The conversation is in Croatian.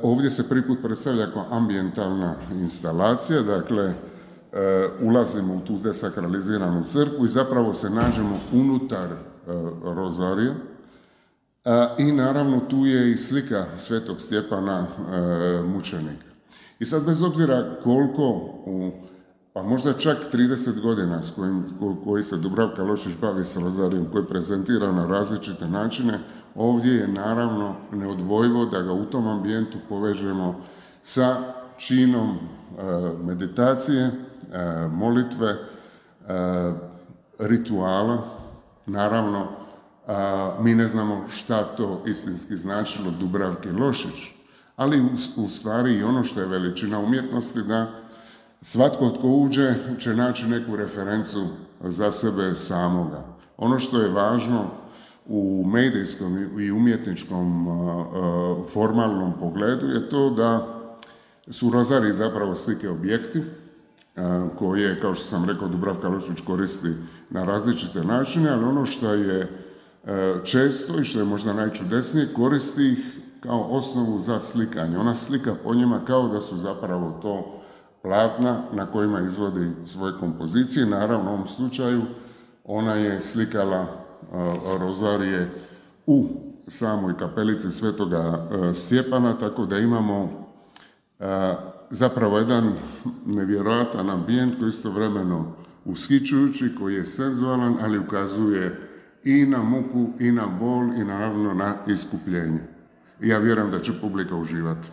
Ovdje se prvi put predstavlja kao ambijentalna instalacija, dakle ulazimo u tu desakraliziranu crkvu i zapravo se nađemo unutar rozarija. I naravno tu je i slika Svetog Stjepana mučenika. I sad bez obzira koliko, pa možda čak 30 godina s koji se Dubravka Lošić bavi s rozarijom, koji prezentira na različite načine, ovdje je naravno neodvojivo da ga u tom ambijentu povežemo sa činom meditacije, molitve, rituala. Naravno, mi ne znamo šta to istinski značilo Dubravki Lošić, ali u stvari i ono što je veličina umjetnosti, da svatko tko uđe će naći neku referencu za sebe samoga. Ono što je važno u medijskom i umjetničkom formalnom pogledu je to da su rozariji zapravo slike objekti koje, kao što sam rekao, Dubravka Lošić koristi na različite načine, ali ono što je često i što je možda najčudesnije, koristi ih kao osnovu za slikanje. Ona slika po njima kao da su zapravo to platna na kojima izvodi svoje kompozicije. Naravno, u ovom slučaju ona je slikala rozarije u samoj kapelici Svetoga Stjepana, tako da imamo zapravo jedan nevjerojatan ambijent koji je istovremeno ushićujući, koji je senzualan, ali ukazuje i na muku, i na bol, i naravno na iskupljenje. I ja vjerujem da će publika uživati.